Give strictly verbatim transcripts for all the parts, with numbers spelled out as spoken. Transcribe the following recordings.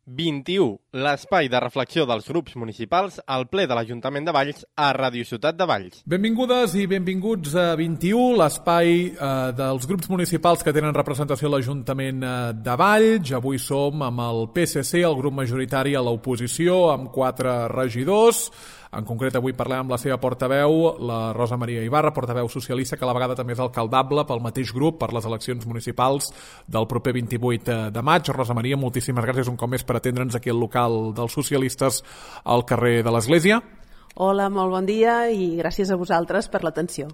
vint-i-u, l'espai de reflexió dels grups municipals al ple de l'Ajuntament de Valls a Ràdio Ciutat de Valls. Benvingudes i benvinguts a vint-i-u, l'espai eh, dels grups municipals que tenen representació a l'Ajuntament de Valls. Avui som amb el P S C, el grup majoritari a l'oposició, amb quatre regidors. En concret, avui parlem amb la seva portaveu, la Rosa Maria Ibarra, portaveu socialista, que a la vegada també és alcaldable pel mateix grup per les eleccions municipals del proper vint-i-vuit de maig. Rosa Maria, moltíssimes gràcies un cop més per atendre'ns aquí al local dels socialistes al carrer de l'Església. Hola, molt bon dia i gràcies a vosaltres per l'atenció.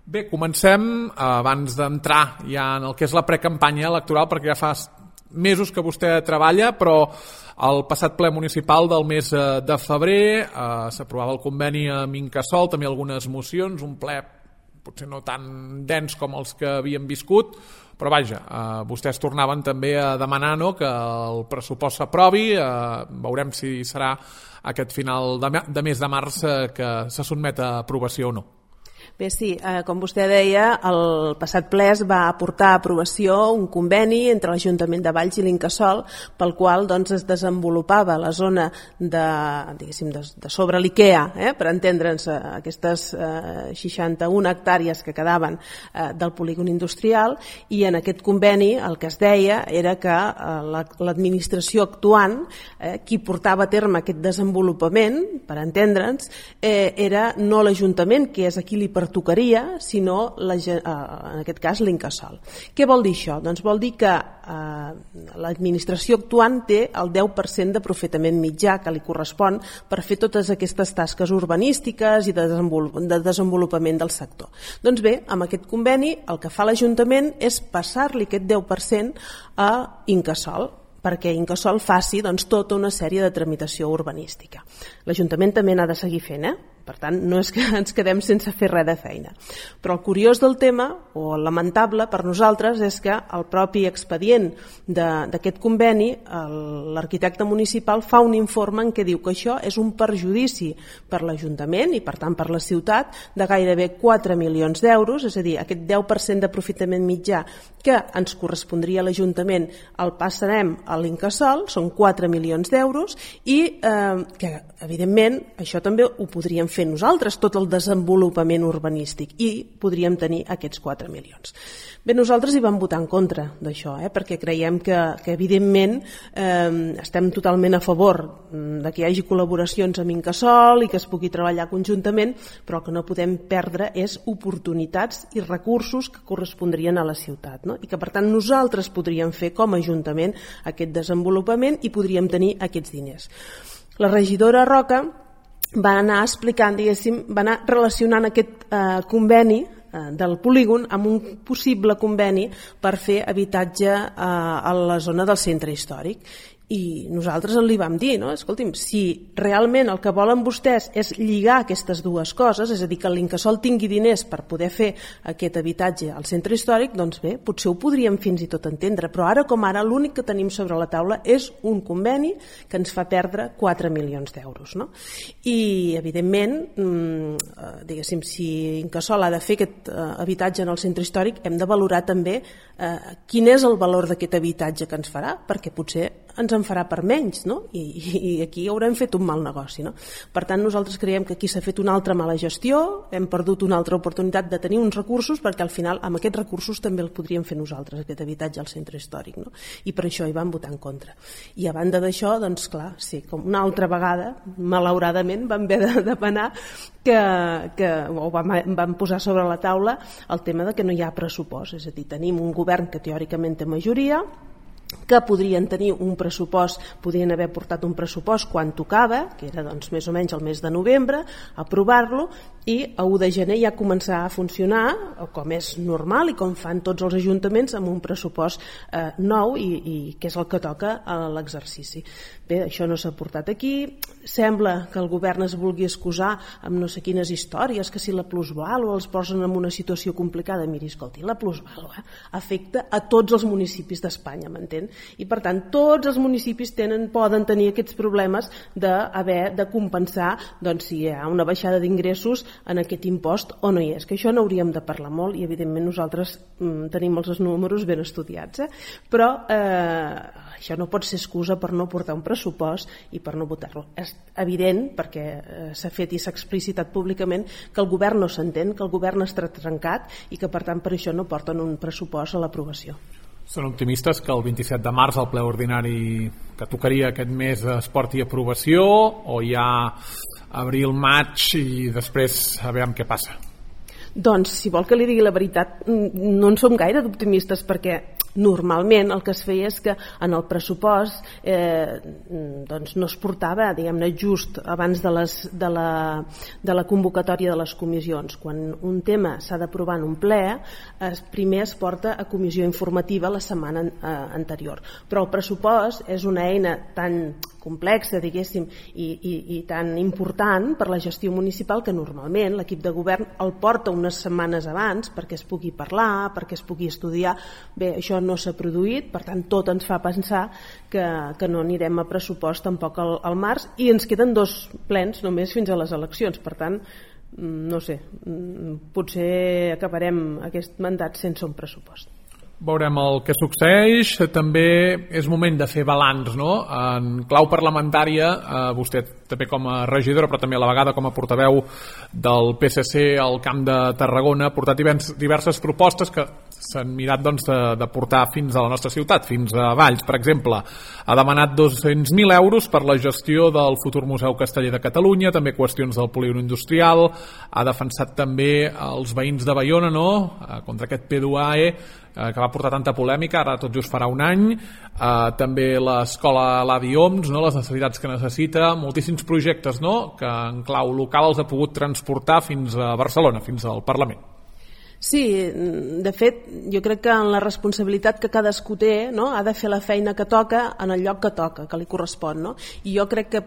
Bé, comencem abans d'entrar ja en el que és la precampanya electoral, perquè ja fa mesos que vostè treballa, però el passat ple municipal del mes de febrer eh, s'aprovava el conveni amb Incasòl, també algunes mocions, un ple potser no tan dens com els que havíem viscut, però vaja, eh, vostès tornaven també a demanar no, que el pressupost s'aprovi, eh, veurem si serà aquest final de, de mes de març eh, que se sotmet a aprovació o no. Bé, sí, eh, com vostè deia, el passat ple es va aportar a aprovació un conveni entre l'Ajuntament de Valls i l'Incasòl pel qual doncs, es desenvolupava la zona de, diguéssim, de, de sobre l'IKEA, eh, per entendre'ns, eh, aquestes eh, seixanta-una hectàrees que quedaven eh, del polígon industrial, i en aquest conveni el que es deia era que eh, la, l'administració actuant, eh, qui portava a terme aquest desenvolupament, per entendre'ns, eh, era no l'Ajuntament, que és a qui li pertocaria, sinó la, en aquest cas l'Incasòl. Què vol dir això? Doncs vol dir que eh, l'administració actuant té el deu per cent d'aprofitament mitjà que li correspon per fer totes aquestes tasques urbanístiques i de, desenvolup de desenvolupament del sector. Doncs bé, amb aquest conveni el que fa l'Ajuntament és passar-li aquest deu per cent a Incasòl, perquè Incasòl faci doncs, tota una sèrie de tramitació urbanística. L'Ajuntament també n'ha de seguir fent, eh? Per tant, no és que ens quedem sense fer res de feina. Però el curiós del tema, o el lamentable per nosaltres, és que el propi expedient d'aquest conveni, l'arquitecte municipal fa un informe en què diu que això és un perjudici per l'Ajuntament i per tant per la ciutat de gairebé quatre milions d'euros, és a dir, aquest deu per cent d'aprofitament mitjà que ens correspondria a l'Ajuntament el passarem a l'Incasòl, són quatre milions d'euros, i eh, que evidentment això també ho podríem fer nosaltres, tot el desenvolupament urbanístic, i podríem tenir aquests quatre milions. Bé, nosaltres hi vam votar en contra d'això, eh, perquè creiem que, que evidentment eh, estem totalment a favor de que hi hagi col·laboracions amb Incasòl i que es pugui treballar conjuntament, però que no podem perdre és oportunitats i recursos que correspondrien a la ciutat, no? I que per tant nosaltres podríem fer com a Ajuntament aquest desenvolupament i podríem tenir aquests diners. La regidora Roca va anar explicant, diguéssim, va anar relacionant aquest eh, conveni eh, del polígon amb un possible conveni per fer habitatge eh, a la zona del centre històric. I nosaltres li vam dir, no? Escolti'm, si realment el que volen vostès és lligar aquestes dues coses, és a dir, que l'Incasòl tingui diners per poder fer aquest habitatge al centre històric, doncs bé, potser ho podríem fins i tot entendre, però ara com ara l'únic que tenim sobre la taula és un conveni que ens fa perdre quatre milions d'euros, no? I, evidentment, mmm, diguéssim, si Incasòl ha de fer aquest eh, habitatge en el centre històric, hem de valorar també eh, quin és el valor d'aquest habitatge que ens farà, perquè potser ens en farà per menys, no? I, i aquí haurem fet un mal negoci, no? Per tant, nosaltres creiem que aquí s'ha fet una altra mala gestió, hem perdut una altra oportunitat de tenir uns recursos, perquè al final amb aquests recursos també el podríem fer nosaltres, aquest habitatge al centre històric, no? I per això hi vam votar en contra. I a banda d'això, doncs clar, sí, com una altra vegada, malauradament, vam haver de demanar que, que o vam, vam posar sobre la taula el tema de que no hi ha pressupost, és a dir, tenim un govern que teòricament té majoria, que podrien tenir un pressupost, podrien haver portat un pressupost quan tocava, que era doncs, més o menys el mes de novembre, aprovar-lo, i a u de gener ja començar a funcionar, com és normal i com fan tots els ajuntaments, amb un pressupost eh, nou i, i que és el que toca a l'exercici. Bé, això no s'ha portat aquí, sembla que el govern es vulgui excusar amb no sé quines històries, que si la plusvàlua els posen en una situació complicada. Miri, escolti, la plusvàlua afecta a tots els municipis d'Espanya, m'entén? s'entén? I per tant tots els municipis tenen, poden tenir aquests problemes d'haver de compensar doncs, si hi ha una baixada d'ingressos en aquest impost o no hi és, que això n'hauríem de parlar molt i evidentment nosaltres mm, tenim els números ben estudiats, eh? Però eh, això no pot ser excusa per no portar un pressupost i per no votar-lo. És evident, perquè eh, s'ha fet i s'ha explicitat públicament, que el govern no s'entén, que el govern està trencat i que per tant per això no porten un pressupost a l'aprovació. Són optimistes que el vint-i-set de març el ple ordinari que tocaria aquest mes es porti a aprovació o ja abril, maig i després a veure què passa? Doncs, si vol que li digui la veritat, no en som gaire d'optimistes perquè normalment el que es feia és que en el pressupost eh, doncs no es portava, diguem-ne, just abans de, les, de, la, de la convocatòria de les comissions. Quan un tema s'ha d'aprovar en un ple, es, primer es porta a comissió informativa la setmana eh, anterior. Però el pressupost és una eina tan complexa, diguéssim, i, i, i tan important per la gestió municipal que normalment l'equip de govern el porta unes setmanes abans perquè es pugui parlar, perquè es pugui estudiar. Bé, això no s'ha produït, per tant tot ens fa pensar que, que no anirem a pressupost tampoc al, al març i ens queden dos plens només fins a les eleccions, per tant no sé, potser acabarem aquest mandat sense un pressupost. Veurem el que succeeix. També és moment de fer balanç, no? En clau parlamentària, eh, vostè també com a regidora, però també a la vegada com a portaveu del P S C al Camp de Tarragona, ha portat diverses propostes que s'han mirat doncs, de, de portar fins a la nostra ciutat, fins a Valls. Per exemple, ha demanat dos-cents mil euros per la gestió del futur Museu Casteller de Catalunya, també qüestions del polígon industrial, ha defensat també els veïns de Baiona, no?, contra aquest P dos A E, que va portar tanta polèmica, ara tot just farà un any, eh, també l'escola Ladi Oms, no? Les necessitats que necessita, moltíssims projectes, no?, que en clau local els ha pogut transportar fins a Barcelona, fins al Parlament. Sí, de fet, jo crec que en la responsabilitat que cadascú té, no?, ha de fer la feina que toca en el lloc que toca, que li correspon, no? I jo crec que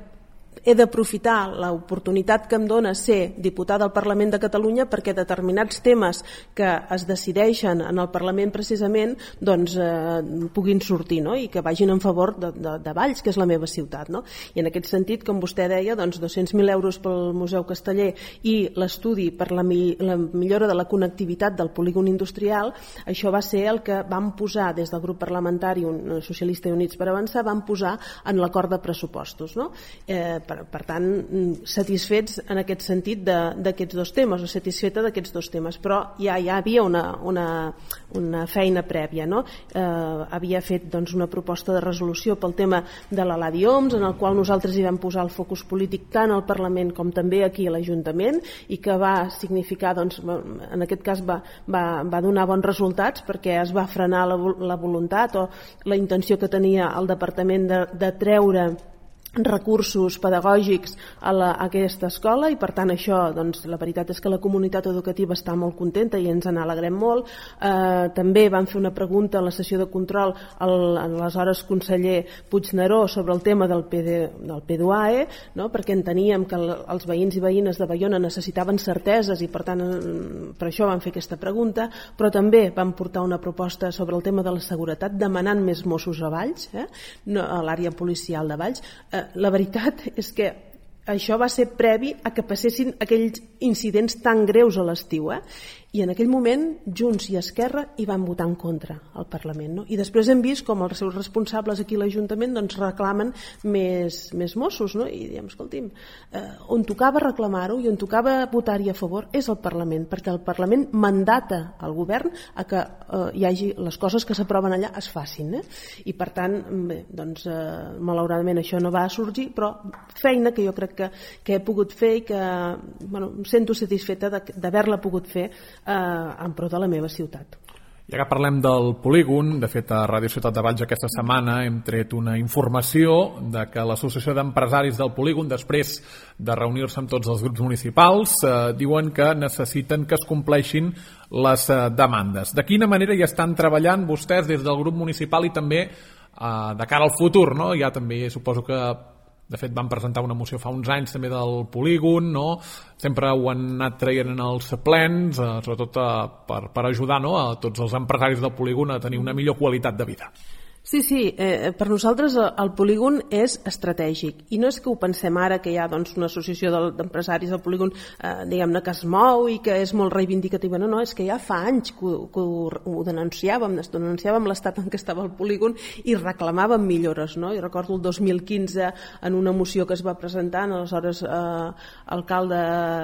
he d'aprofitar l'oportunitat que em dona ser diputada al Parlament de Catalunya perquè determinats temes que es decideixen en el Parlament precisament doncs eh, puguin sortir, no?, i que vagin en favor de, de, de Valls, que és la meva ciutat, no? I en aquest sentit, com vostè deia, doncs dos-cents mil euros pel Museu Casteller i l'estudi per la, mi la millora de la connectivitat del polígon industrial, això va ser el que vam posar des del grup parlamentari Socialista i Units per Avançar, vam posar en l'acord de pressupostos, no? Eh, Per, per tant, satisfets en aquest sentit d'aquests dos temes, o satisfeta d'aquests dos temes, però ja, ja hi havia una, una, una feina prèvia, no? Eh, havia fet doncs, una proposta de resolució pel tema de la Ladi Oms, en el qual nosaltres hi vam posar el focus polític tant al Parlament com també aquí a l'Ajuntament, i que va significar, doncs, en aquest cas va, va, va donar bons resultats perquè es va frenar la, la voluntat o la intenció que tenia el Departament de, de treure recursos pedagògics a, la, a aquesta escola, i per tant això, doncs, la veritat és que la comunitat educativa està molt contenta i ens n'alegrem molt. Eh, també vam fer una pregunta a la sessió de control al aleshores conseller Puigneró sobre el tema del P dos A E, no?, perquè enteníem que el, els veïns i veïnes de Baiona necessitaven certeses i per tant per això vam fer aquesta pregunta, però també vam portar una proposta sobre el tema de la seguretat demanant més Mossos a Valls, eh? No, a l'àrea policial de Valls. Eh, La veritat és que això va ser previ a que passessin aquells incidents tan greus a l'estiu, eh? I en aquell moment Junts i Esquerra hi van votar en contra al Parlament, no? I després hem vist com els seus responsables aquí a l'Ajuntament doncs reclamen més, més Mossos, no? I diem, escolti'm, eh, on tocava reclamar-ho i on tocava votar-hi a favor és el Parlament, perquè el Parlament mandata al govern a que eh, hi hagi les coses que s'aproven allà es facin, eh? I per tant, bé, doncs eh, malauradament això no va sorgir, però feina que jo crec que, que he pogut fer i que, bueno, em sento satisfeta d'haver-la pogut fer en pro de la meva ciutat. Ja que parlem del polígon, de fet a Ràdio Ciutat de Valls aquesta setmana hem tret una informació de que l'Associació d'Empresaris del Polígon, després de reunir-se amb tots els grups municipals, eh, diuen que necessiten que es compleixin les eh, demandes. De quina manera hi estan treballant vostès des del grup municipal i també eh, de cara al futur, no? Ja també suposo que de fet van presentar una moció fa uns anys també del polígon, no? Sempre ho han anat traient en els plens, eh, sobretot eh, per, per ajudar, no?, a tots els empresaris del polígon a tenir una millor qualitat de vida. Sí, sí, eh, per nosaltres el, el polígon és estratègic i no és que ho pensem ara que hi ha doncs, una associació d'empresaris del polígon eh, diguem-ne que es mou i que és molt reivindicativa, no, no, és que ja fa anys que, ho, que ho, ho denunciàvem, denunciàvem l'estat en què estava el polígon i reclamàvem millores, no? I recordo el dos mil quinze en una moció que es va presentar en aleshores eh, alcalde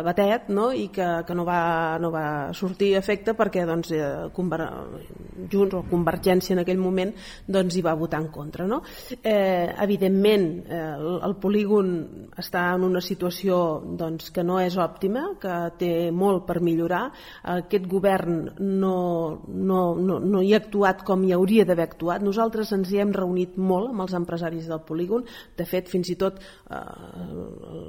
Batet, no? I que, que no, va, no va sortir a efecte perquè doncs, eh, Conver... Junts o Convergència en aquell moment doncs, hi va votar en contra. No? Eh, evidentment, eh, el, el polígon està en una situació doncs, que no és òptima, que té molt per millorar. Aquest govern no, no, no, no hi ha actuat com hi hauria d'haver actuat. Nosaltres ens hi hem reunit molt amb els empresaris del polígon. De fet, fins i tot eh,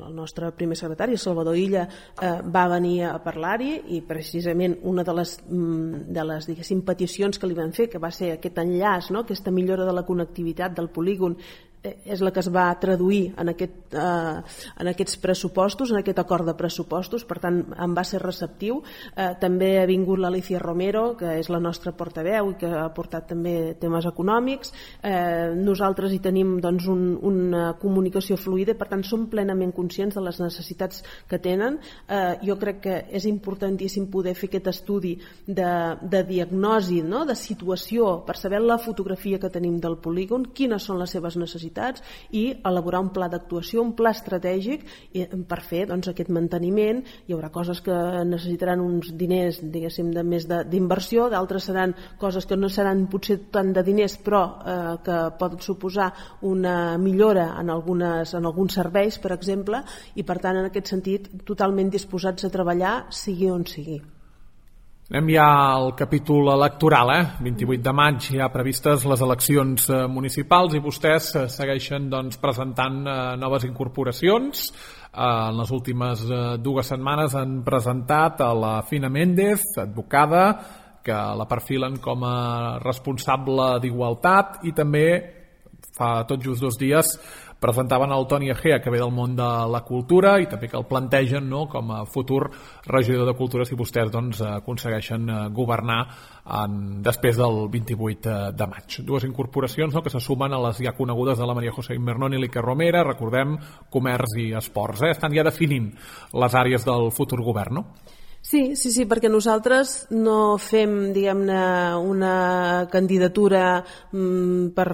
el nostre primer secretari, Salvador Illa, eh, va venir a parlar-hi i precisament una de les, de les diguéssim, peticions que li van fer, que va ser aquest enllaç, no? Aquesta millora de la connectivitat del polígon, és la que es va traduir en, aquest, eh, en aquests pressupostos, en aquest acord de pressupostos, per tant em va ser receptiu. Eh, també ha vingut l'Alicia Romero, que és la nostra portaveu i que ha portat també temes econòmics. Eh, nosaltres hi tenim doncs, un, una comunicació fluida, per tant som plenament conscients de les necessitats que tenen. Eh, jo crec que és importantíssim poder fer aquest estudi de, de diagnosi, no? De situació, per saber la fotografia que tenim del polígon, quines són les seves necessitats i elaborar un pla d'actuació, un pla estratègic per fer doncs, aquest manteniment. Hi haurà coses que necessitaran uns diners diguéssim de més d'inversió, d'altres seran coses que no seran potser tant de diners però eh, que poden suposar una millora en, algunes, en alguns serveis, per exemple, i per tant en aquest sentit totalment disposats a treballar sigui on sigui. Anem ja al capítol electoral, eh? vint-i-vuit de maig hi ha previstes les eleccions eh, municipals i vostès eh, segueixen doncs, presentant eh, noves incorporacions. Eh, en les últimes eh, dues setmanes han presentat a la Fina Méndez, advocada, que la perfilen com a responsable d'Igualtat, i també fa tot just dos dies presentaven el Toni Egea, que ve del món de la cultura i també que el plantegen, no?, com a futur regidor de Cultura si vostès doncs, aconsegueixen governar en, després del vint-i-vuit de maig. Dues incorporacions, no?, que se sumen a les ja conegudes de la Maria José Invernón i l'Iker Romera, recordem, comerç i esports. Eh? Estan ja definint les àrees del futur govern, no? Sí, sí, sí, perquè nosaltres no fem, diguem-ne, una candidatura mm, per,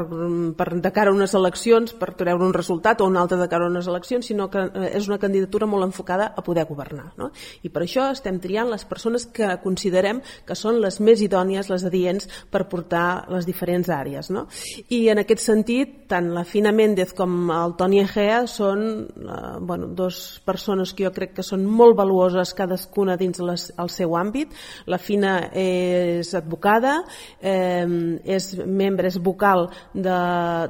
per de cara a unes eleccions, per treure un resultat, o una altra de cara a unes eleccions, sinó que és una candidatura molt enfocada a poder governar, no? I per això estem triant les persones que considerem que són les més idònies, les adients, per portar les diferents àrees, no? I en aquest sentit, tant la Fina Méndez com el Toni Egea són eh, bueno, dos persones que jo crec que són molt valuoses cadascuna dins les, el seu àmbit. La Fina és advocada, eh, és membre, és vocal de,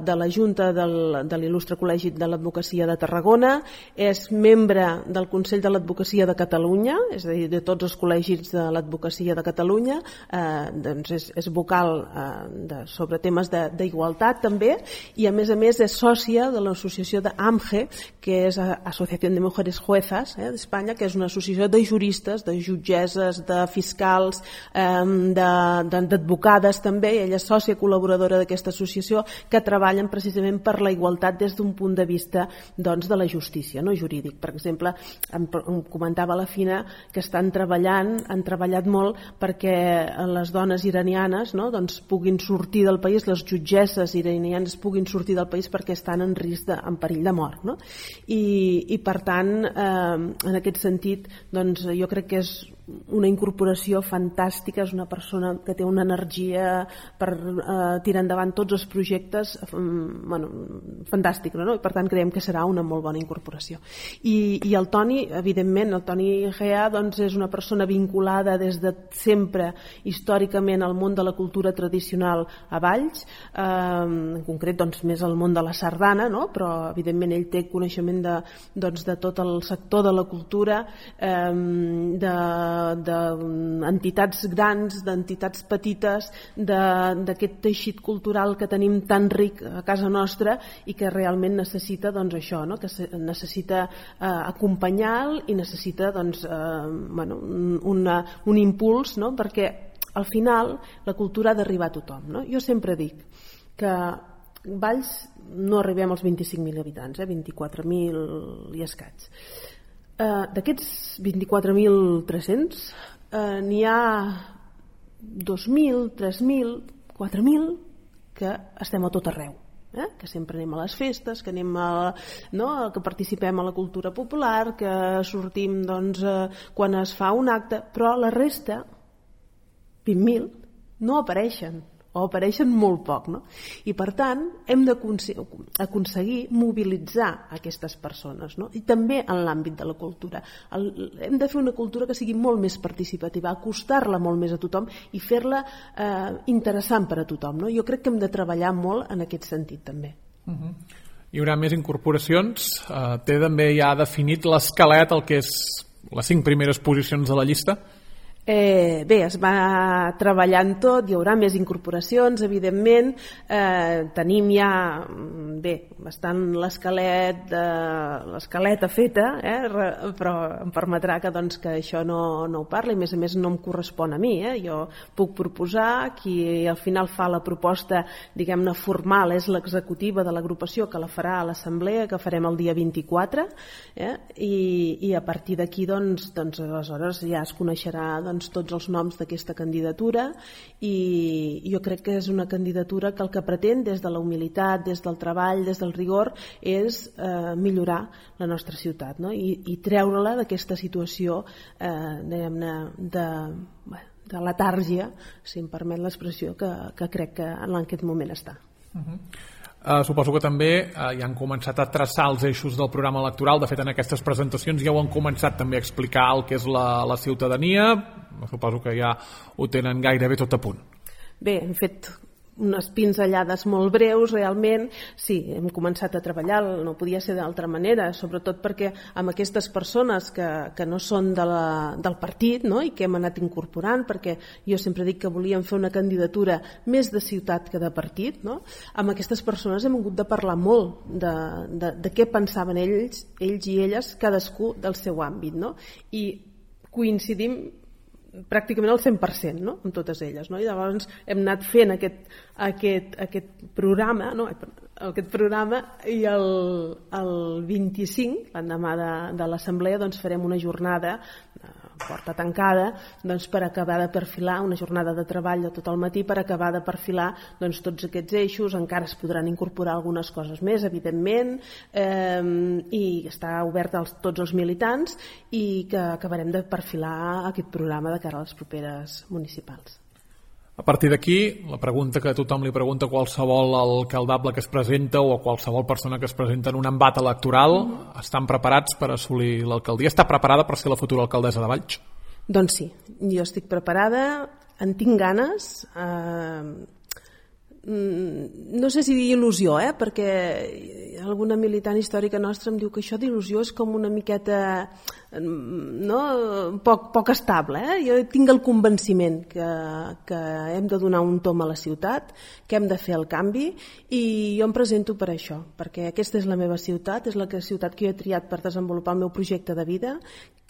de la Junta del, de l'Il·lustre Col·legi de l'Advocacia de Tarragona, és membre del Consell de l'Advocacia de Catalunya, és a dir, de tots els col·legis de l'Advocacia de Catalunya, eh, doncs és, és vocal eh, de, sobre temes d'igualtat també, i a més a més és sòcia de l'associació d'AMGE, que és Asociació de Mujeres Juezas eh, d'Espanya, que és una associació de juristes, de jutgesses, de fiscals, eh, d'advocades també, i ella és sòcia col·laboradora d'aquesta associació, que treballen precisament per la igualtat des d'un punt de vista doncs, de la justícia, no jurídic. Per exemple, em, em comentava la Fina que estan treballant, han treballat molt perquè les dones iranianes no, doncs, puguin sortir del país, les jutgesses iranianes puguin sortir del país perquè estan en risc de, en perill de mort. No? I, i per tant, eh, en aquest sentit, doncs, jo crec que és una incorporació fantàstica, és una persona que té una energia per eh, tirar endavant tots els projectes eh, bueno, fantàstica, no? I per tant creiem que serà una molt bona incorporació. I, i el Toni, evidentment, el Toni Egea doncs, és una persona vinculada des de sempre històricament al món de la cultura tradicional a Valls, eh, en concret doncs, més al món de la sardana, no? Però evidentment ell té coneixement de, doncs, de tot el sector de la cultura, eh, de d'entitats grans, d'entitats petites, d'aquest teixit cultural que tenim tan ric a casa nostra i que realment necessita doncs, això, no? Que necessita eh, acompanyar i necessita doncs, eh, bueno, una, un impuls, no? Perquè al final la cultura ha d'arribar a tothom. No? Jo sempre dic que Valls no arribem als vint-i-cinc mil habitants, eh? vint-i-quatre mil i escaig. Uh, d'aquests vint-i-quatre mil tres-cents uh, n'hi ha dos mil, tres mil, quatre mil que estem a tot arreu, eh? Que sempre anem a les festes, que anem a, no? que participem a la cultura popular, que sortim doncs, uh, quan es fa un acte, però la resta, vint mil, no apareixen o apareixen molt poc, no? I per tant hem d'aconseguir mobilitzar aquestes persones, no? I també en l'àmbit de la cultura. El, hem de fer una cultura que sigui molt més participativa, acostar-la molt més a tothom i fer-la eh, interessant per a tothom, no? Jo crec que hem de treballar molt en aquest sentit també. Uh-huh. Hi haurà més incorporacions, uh, té també ja definit l'esquelet, el que és les cinc primeres posicions de la llista? Eh, bé, es va treballant tot, hi haurà més incorporacions, evidentment, eh, tenim ja bé, bastant l'esquelet eh, l'esqueleta feta, eh, però em permetrà que, doncs, que això no, no ho parli, a més a més no em correspon a mi, eh, jo puc proposar, qui al final fa la proposta, diguem-ne, formal és l'executiva de l'agrupació, que la farà a l'assemblea, que farem el dia vint-i-quatre, eh, i, i a partir d'aquí, doncs, doncs, aleshores ja es coneixerà, doncs, tots els noms d'aquesta candidatura, i jo crec que és una candidatura que el que pretén des de la humilitat, des del treball, des del rigor, és eh, millorar la nostra ciutat, no? I, i treure-la d'aquesta situació eh, diguem-ne de, de letàrgia, si em permet l'expressió, que, que crec que en aquest moment està. Uh-huh. Uh, suposo que també uh, ja han començat a traçar els eixos del programa electoral. De fet, en aquestes presentacions ja ho han començat també a explicar el que és la, la ciutadania. Suposo que ja ho tenen gairebé tot a punt. Bé, hem fet unes pinzellades molt breus, realment. Sí, hem començat a treballar, no podia ser d'altra manera, sobretot perquè amb aquestes persones que, que no són de la, del partit, no? I que hem anat incorporant, perquè jo sempre dic que volíem fer una candidatura més de ciutat que de partit, no? Amb aquestes persones hem hagut de parlar molt de, de, de què pensaven ells, ells i elles, cadascú del seu àmbit, no? I coincidim pràcticament al cent per cent, no? Amb totes elles, no? I llavors hem anat fent aquest, aquest, aquest programa, no? aquest programa i el, el vint-i-cinc, l'endemà de, de l'assemblea, doncs farem una jornada porta tancada, doncs, per acabar de perfilar, una jornada de treball de tot el matí per acabar de perfilar, doncs, tots aquests eixos. Encara es podran incorporar algunes coses més, evidentment, eh, i està obert als tots els militants, i que acabarem de perfilar aquest programa de cara a les properes municipals. A partir d'aquí, la pregunta que tothom li pregunta a qualsevol alcaldable que es presenta o a qualsevol persona que es presenta en un embat electoral, mm. estan preparats per assolir l'alcaldia? Està preparada per ser la futura alcaldessa de Valls? Doncs sí, jo estic preparada, en tinc ganes, eh, no sé si dir il·lusió, eh? Perquè alguna militant històrica nostra em diu que això d'il·lusió és com una miqueta, no? poc, poc estable, eh? Jo tinc el convenciment que, que hem de donar un tom a la ciutat, que hem de fer el canvi, i jo em presento per això, perquè aquesta és la meva ciutat, és la ciutat que jo he triat per desenvolupar el meu projecte de vida,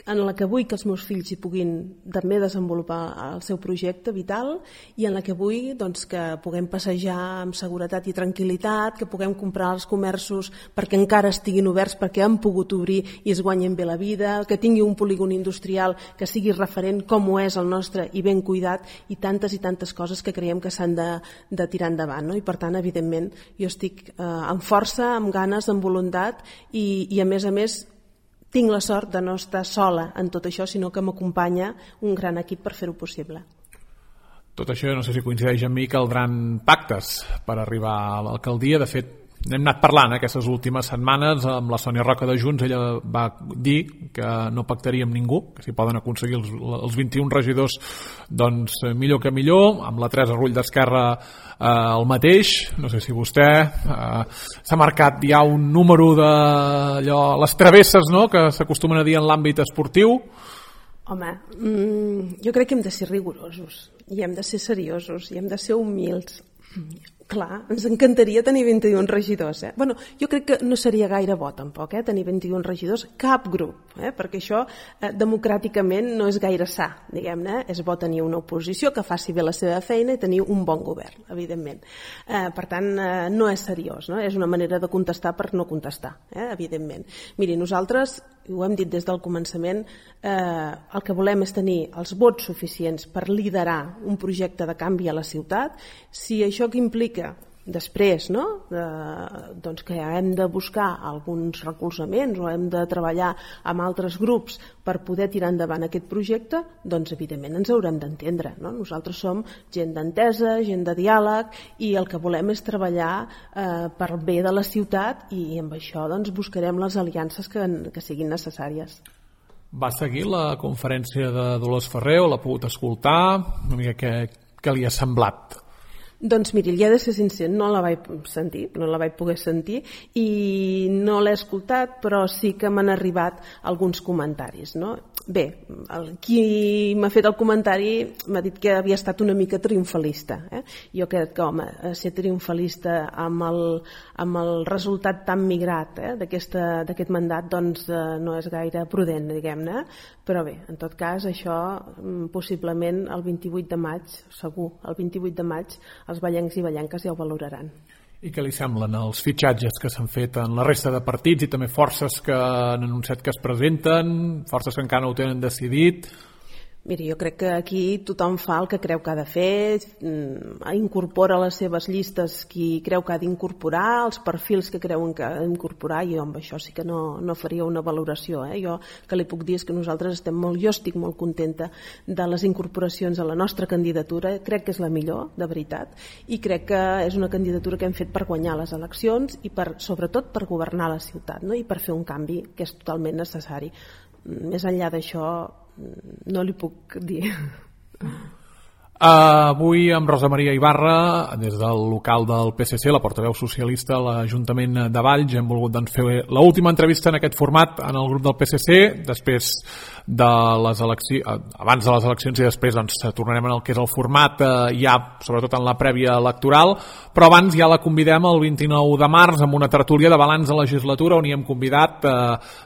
en la que vull que els meus fills hi puguin també desenvolupar el seu projecte vital, i en la que vull, doncs, que puguem passejar amb seguretat i tranquil·litat, que puguem comprar els comerços perquè encara estiguin oberts, perquè han pogut obrir i es guanyen bé la vida, que tingui un polígon industrial que sigui referent com ho és el nostre i ben cuidat, i tantes i tantes coses que creiem que s'han de, de tirar endavant, no? I per tant, evidentment, jo estic eh, amb força, amb ganes, amb voluntat, i, i a més a més tinc la sort de no estar sola en tot això, sinó que m'acompanya un gran equip per fer-ho possible. Tot això, no sé si coincideix amb mi, caldran pactes per arribar a l'alcaldia. De fet, n'hem anat parlant eh, aquestes últimes setmanes amb la Sònia Roca de Junts. Ella va dir que no pactaria amb ningú, que si poden aconseguir els, els vint-i-un regidors, doncs millor que millor. Amb la Teresa Rull d'Esquerra eh, el mateix. No sé si vostè eh, s'ha marcat ja un número de allò, les travesses, no?, que s'acostumen a dir en l'àmbit esportiu. Home, mmm, jo crec que hem de ser rigorosos, i hem de ser seriosos, i hem de ser humils. Clar, ens encantaria tenir vint-i-un regidors. Eh? Bueno, jo crec que no seria gaire bo tampoc, eh? tenir vint-i-un regidors, cap grup, eh? perquè això eh, democràticament no és gaire sa, diguem-ne. És bo tenir una oposició que faci bé la seva feina i tenir un bon govern, evidentment. Eh, per tant, eh, no és seriós, no? És una manera de contestar per no contestar, eh? evidentment. Miri, nosaltres, ho hem dit des del començament, eh, el que volem és tenir els vots suficients per liderar un projecte de canvi a la ciutat. Si això que implica després, no? eh, doncs que hem de buscar alguns recolzaments o hem de treballar amb altres grups per poder tirar endavant aquest projecte, doncs evidentment ens haurem d'entendre, no? Nosaltres som gent d'entesa, gent de diàleg, i el que volem és treballar eh, per bé de la ciutat, i amb això doncs buscarem les aliances que, que siguin necessàries. Va seguir la conferència de Dolors Ferrer, o l'ha pogut escoltar? Una mica què, què li ha semblat? Doncs miri, li he de ser sincer, no la vaig sentir, no la vaig poder sentir, i no l'he escoltat, però sí que m'han arribat alguns comentaris, no? Bé, el, qui m'ha fet el comentari m'ha dit que havia estat una mica triomfalista. Eh? Jo crec que, home, ser triomfalista amb el, amb el resultat tan migrat eh, d'aquest mandat doncs eh, no és gaire prudent, diguem-ne, però bé, en tot cas, això possiblement el vint-i-vuit de maig, segur, el vint-i-vuit de maig, els vallencs i vallenques ja ho valoraran. I què li semblen els fitxatges que s'han fet en la resta de partits i també forces que han anunciat que es presenten, forces que encara no ho tenen decidit? Miri, jo crec que aquí tothom fa el que creu que ha de fer, incorpora a les seves llistes qui creu que ha d'incorporar, els perfils que creuen que ha d'incorporar, i jo amb això sí que no, no faria una valoració. Eh? Jo que li puc dir és que nosaltres estem molt, jo estic molt contenta de les incorporacions a la nostra candidatura, crec que és la millor, de veritat, i crec que és una candidatura que hem fet per guanyar les eleccions i per, sobretot per governar la ciutat, no? I per fer un canvi que és totalment necessari. Més enllà d'això, no li puc dir. Uh, avui amb Rosa Maria Ibarra, des del local del P S C, la portaveu socialista a l'Ajuntament de Valls, hem volgut doncs, fer l'última entrevista en aquest format en el grup del P S C, després de les eleccions, abans de les eleccions, i després doncs, tornarem en el que és el format eh, ja, sobretot en la prèvia electoral, però abans ja la convidem el vint-i-nou de març amb una tertúlia de balanç de legislatura on hi hem convidat eh,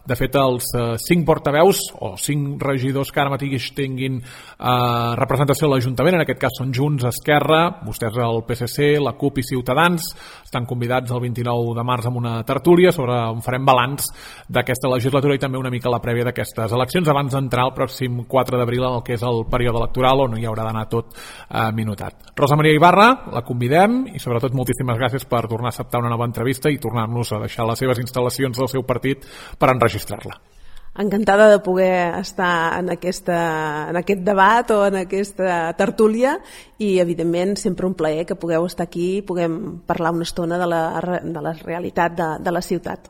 de fet els eh, cinc portaveus o cinc regidors que ara mateix tinguin eh, representació a l'Ajuntament. En aquest cas són Junts, Esquerra, vostès el P S C, la CUP i Ciutadans. Estan convidats el vint-i-nou de març amb una tertúlia sobre on farem balanç d'aquesta legislatura i també una mica la prèvia d'aquestes eleccions abans d'entrar el pròxim quatre d'abril en el que és el període electoral on hi haurà d'anar tot eh, minutat. Rosa Maria Ibarra, la convidem i sobretot moltíssimes gràcies per tornar a acceptar una nova entrevista i tornar-nos a deixar les seves instal·lacions del seu partit per enregistrar-la. Encantada de poder estar en, aquesta, en aquest debat o en aquesta tertúlia i, evidentment, sempre un plaer que pugueu estar aquí i puguem parlar una estona de la, de la realitat de, de la ciutat.